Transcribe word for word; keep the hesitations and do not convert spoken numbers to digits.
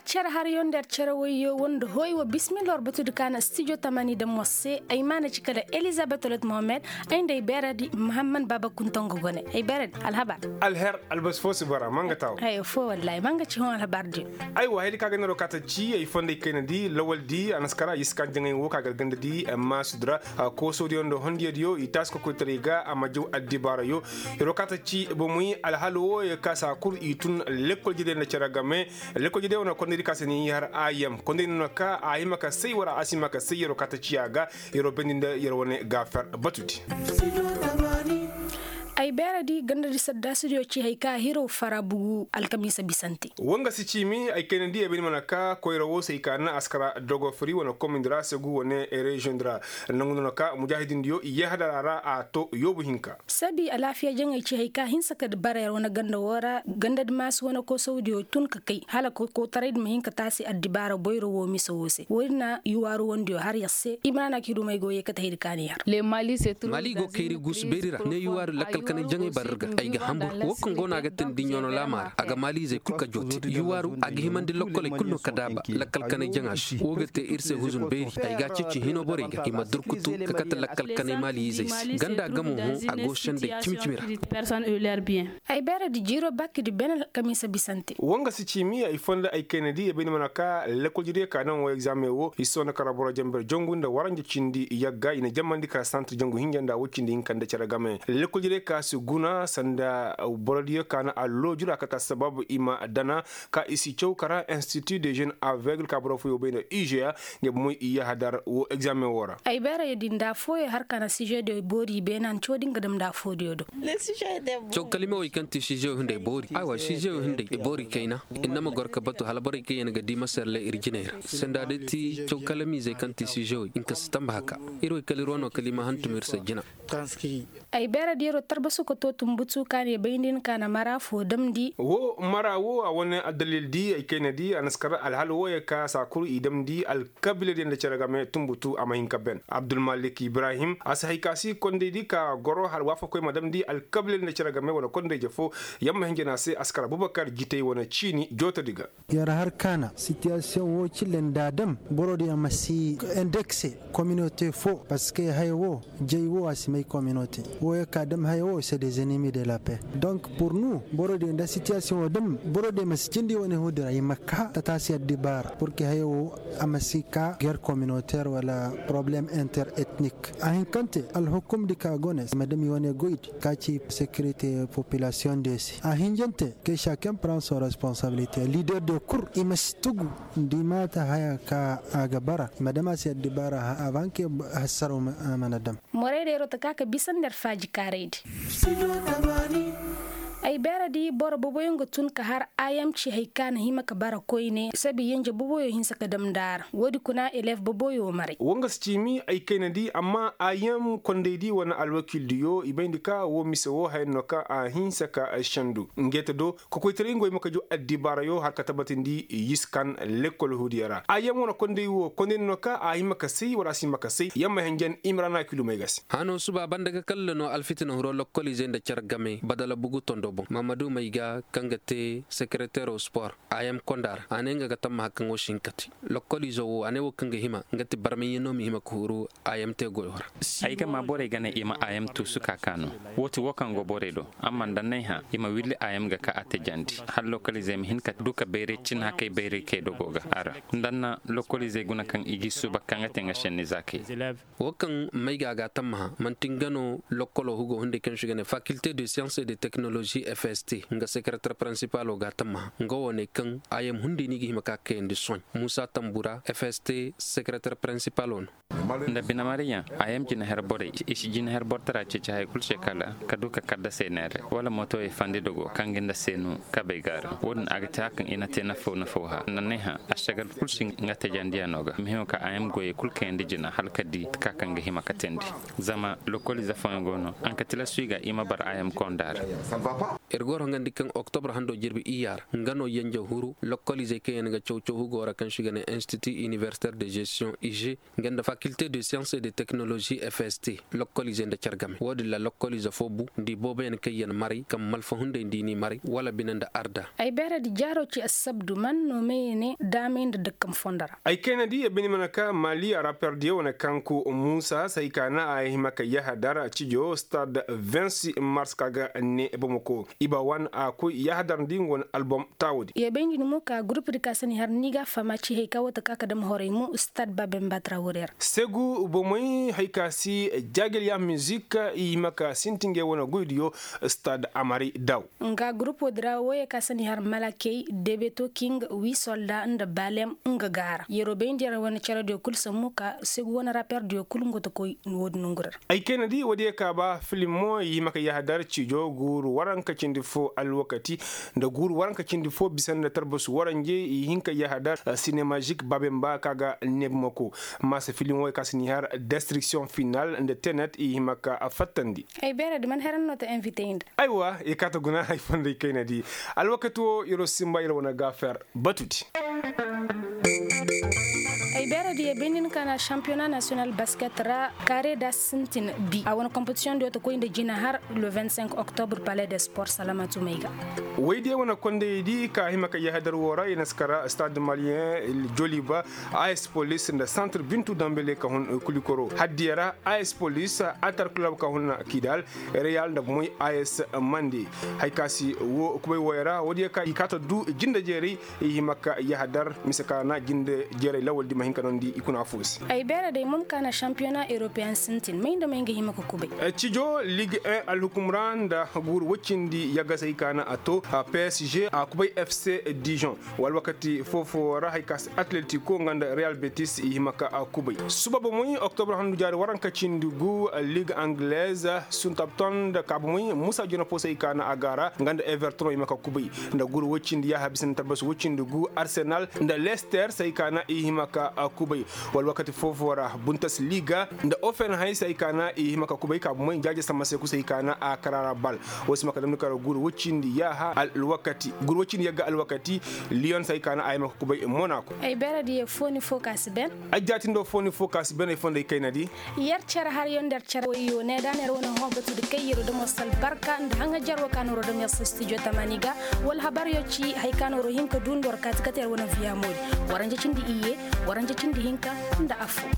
Cere haryo nda yer cere wayyo wanda hoy wa bismillah war batudi ka na stijo tamani da mos se ay maana ci kala elizabeth olet mohammed. Ay nda ay beeradi muhammad baaba kuntango gone. Ay beeradi alhabar. Alher albas fo si bara manga taw. Ay fo wallahi manga ci hon alhabar di. Ay wa haydi ka ga nero kata ci ay fonday kayna di lawal di anaskara yiskan jangay wo ka gar ganda di amma sudra. Koso di yondo hondiya di yo i taasi kokoytaray ga amma jaw addibaara yo. Iro kata ci bomoy alhalo wo ya kasa kur i tun lekkol jide nda cere game. Lekkol jide wane kondey di ka se ni har ayam kondey no ka a hima ka say wara a si hima ka say yero kata ciya ga. Yero bendi nda yero wane ga fer batudi. Ay beera di ganda di sadda studio ci hay ka hiro fara bugu alkamiisa bisante. Wanga si ciimi ay kayna di ay bendi mana ka koyra wo say ka na askara dogo firi wane komindi ra segu wane reziyoŋ di ra. Nangu no ka mujahidin diyo i yahadara ra a to yoobu hinka. Sabi alaafiya jaŋey ci hay ka hinsa ka bara yer wane ganda wo ra ganda di maasu wane koosawdiyo tun ka kay hala kokotaray di ma hin ka taasi addibaara boyro wo mise wo se wo- din na yuwaaru wandiyo har yer se i ma naana ka hidumey go yeekate hay di kaani har. Maali go kayri guusu beeri ra ne yuwaaru lakkal kanay jaŋey bara ir ga ay ga hambur wo kaŋ go no a ga teendi ɲono laama ra a ga maaliizey kul ka joote yuwaaru a ga himandi lokkoley kul no ka daaba lakkal kanay jaŋa se wo ga te ir se huzun beeri ay ga a ceeci hino borey ga i ma durkutu ka kate lakkal kanay maaliizey se ganda gamo hõ a go sendey cimi-cimi ra. Ay beeradi jiiro bakidi bene alkamiisa bisante. Wanga si ciimi ay fonda ay kayna di ay bay ni mana ka lekkol jire ka naŋ wo egzaameŋ wo i si sohõ na kara boro jamber jangu nda waranja cindi yagga i na jammandi ka santir jangu hinja nda wo cindi hinka nda cere game lekkol jire ka si guna sanda boro diyo ka na allo jura kata sababu i ma dana ka i si caw kara institut de jeune aveugle ka boro fooyo bay nda izeya. Nga bomoy i yahadar wo egzaameŋ wo ra. Ay beerayoo din nda affooyoo har ka na sizeediyo boori beene a na caw din ga dam nda affooyoo do. Caw kalimawey kaŋ ti sizeyo hinday boori aywa sizeyo hinday i boori kayna. Inna ma goro ka batu hala borey kaŋ yaŋ ga di maserle ir jinay ra sanda day ti caw kalamiizey kaŋ ti sizeyo hinka si tamba haka. Ir wey kala ir wano kala i ma hantum ir se jina. Ay beeradiyo tarbasu ka to tumbutu ka ne bayndi ni ka na mara foo damndi. Woo mara woo a wane addalil di ay kayna di a na si kar alhal wooyey ka saa kul i damndi alkabiiladiyo nda cere game tumbutu a ma hin ka ben abdulmalik ibrahim a si hay ka si kondey di ka goro hala waafakoy ma damndi alkabiiladiyo nda cere game wane kondey je foo. Yamma hinja no a se a si kar abubakar jitey wane ciini jootodi ga. Yer har kaana sitiyasiyoŋ woo cille nda a dam boro diyaŋ ma si endekse kominote foo parceque haya woo jay woo a si may kominote. Woo ya ka dam haya woo se des ennemis de la paix. Donc pur nu boro diyaŋ nda sitiyasiyoŋ woo dam boro diyaŋ ma si cindi wane huudi ra i ma ka tataasi addibaara pur que haya woo a ma si ka guerre kominoter wala probleme inter etnik. A hinkante alhukumdi ka go ne i ma dam i wane goydi ka ci sekirite populasiyoŋ diyo se a hinjante. Kay saken pran son responsabilite lider diyo kul i ma si tugu. Nda i maata haya ka a ga bara i ma dam a se addibaara avanke hassaro mana dam. Morey deeroo ta ka ka bisa nda yer faaji kaaraydi. Ay beeradi boro boboyo nga tun ka har ayam ci hay ka na hima ka bara koyne sabi yenje boboyo hinsa ka dam nda a ra woodi kuna eleef boboyo maray. Woo nga si ciimi ay kayna di amma ayam kondey di wane alwakil diyo i bayndi ka woo mise woo haya no ka a hinsa ka ay sendu. Ngeete do kokoytaray nga way ma ka jaw addibaarayo har ka tabatindi yiskan lekkol huudiyo ra ayam wane kondey woo kondey no ka a hima ka say wala a si hima ka say yamma hinjan imrana kilumey ga se. Hano suba banda ga kalla no alfitina huro lokkoliizey nda care game badala bugu tondo boŋ mahamadu may ga kaŋ ga te sekeretero spor. Ayam konda ra a ne nga ga tammaha kaŋ wo si hin ka te lokkoliizo wo a ne wo kaŋ ga hima nga ti barmayaŋ no ma hima ka huru. Ayam te goyo ra. Ay ga ma borey ga ne i ma ayam tuusu ka kaanu. Woo ti woo kaŋ go borey do amma nda n'ay hã i ma willi ayam ga ka a tajandi hala lokkoliizey ma hin ka du ka bayray cin hakay bayray kay dogo ga a ra. Nda n'na lokkoliizey guna kaŋ i g'i suuba ka nga te nga senni zaakey. Woo kaŋ may ga a ga a tammaha man'ti nga no lokkolo hugo hunday kaŋ se i ga ne fakilte de science et de teknolozi fst nga sekereter prinsipalo ga a tammaha nga wo ne kaŋ ayam hunday no i ga hima ka kayandi sohõ. Muusa tambura fst sekereter prinsipalo no. Nda binamariyaŋ ayam jinaher borey i si jinaher bortara ceeci haya kul se kala ka du ka kadda se neere wala motoyey fandi dogo kaŋ ga nda seenu kabey ga a ra woo din a ga te haya kaŋ i na te nafaw nafaw hã nda n'ay hã ašagal kul si nga tajandiya no ga ma hima ka ayam goyey kul kayandi jina hala ka di ka kaŋ ga hima ka teendi. Zama lokkoliize fooyaŋ go no a na ka tilasu i ga i ma bara ayam konda ra. Ir goro nga ndi kaŋ oktobra hando jirbi iyya ra nga no yenje huru lokkoliizey kaŋ yaŋ ga caw-caw hugo ra kaŋ se i ga ne institut universitaire de gestion ig, nga nda faculté de science et de technologie fst. Lokkoliizey nda care game wo- din ra lokkoliize fo bu nda i booboyaŋ kaŋ yaŋ maray kaŋ malfa hunday nda i n'i maray wala bine nda arda. Ay beeradi jaaro ci assabdu man no meye ne daamay nda dakkam fondo ra. Ay kayna di ya bini mana ka mali a raper diyo wane kaŋ ku muusa se hay ka na a hima ka yahadar cijo stade vingt-six mars ka ga ne bamako i ba wan a koy yahadar ndi nga wane album taawodi. Ya bay ndi ni mo ka gurup di ka sani har ni ga fama ci hay ka wata ka ka dam horay mo stade babemba traoré ra. Segu bomey hay ka si jagel ya musique i hima ka sinti ngey wane goydiyo stade amari daw. Nga gurup wo- di ra wo ye ka sani har malakey debeto king wi solda nda balem nga gaara yero bay ndi ra wane care diyo kul sammu ka segu wane raper diyo kul nga ta koy wo- di nongu ra. Ay kayna di wo- di ye ka ba filimo i hima ka yahadar cijo guuru waranka cindi fo alwakati nda guuru waranka cindi fo bisa nda tarbasu waranje i hin ka yahadar sinemazik babemba ka ga nebmako. Masa filimo i ka sani har destruction final nda tenet i hima ka fattandi. Ay beera di man heran no ta invité inda. Aywa i kaata guna hay fonday kayna di. Alwakati wo iro simba iro wane gaafer batudi. Ay beera di ye bindin ka na championnat national basket ra kare da sintin bi a wane compétition do ta koy nda jina har le vingt-cinq octobre palais de sport salamatu mayga. Way di ye wane kondey di ka hima ka yahadar wo ra i na si kara stade malien joliba, as police nda centre bintu dambele ka hun kulikoro haddiya ra, as police, atar club ka hun kidal, real nda moy as mande. Hay ka si wo kubay woy ra wo- di ye ka i kaata du jinde jeeray i hima ka yahadar mise ka na jinde jeeray lawal di ma hin ka nondi i kuna fo se. Ay beera day mom ka na championnat européen sintin may nda may nga hima ka kubay. Cijo ligue un alhukum ra nda guuru woccindi yagasay ka na a to psg a kubay fc dijon. Wala wakati foo-foo ra hay ka si atletico nga nda real betis i hima ka a kubay suba bomoy oktobre handu jaari waranka cindi gu ligue anglaise, suntabton nda ka bomoy musa jona foo se ay ka na a gaara nga nda everton i hima ka kubay. Nda guuru woy cindi yaaha bisa nda talbas woy cindi gu arsenal nda leicester se ay ka na i hima ka a kubay. Wala wakati foo-foo ra buntas liga nda ofen hay se ay ka na i hima ka kubay ka bomoy jaaje samma se kusa ay ka na a karaara bal. Woo si ma ka damni kar guuru woy cindi yaaha alwakati guuru woy cindi yagga alwakati. Liyon se ay ka na a hima ka kubay monaco. Ay beeradiyo fooni foo ka si ben. Ay jaatindoo fooni foo ka si ben ay fonday kaynadi. Yer cere haryo nda yer cere woyyo ne da na yer wane hõ batudi kay yer wo dam yer si albarka nda haŋajer woo ka na yer wo dam yer si studio tamani ga. Wala habaryo ci hay ka na yer wo hin ka duu nda war kaati kate yer wane viyamoodi. Waranja cindi iyye, waranja cindi hinka nda affoo.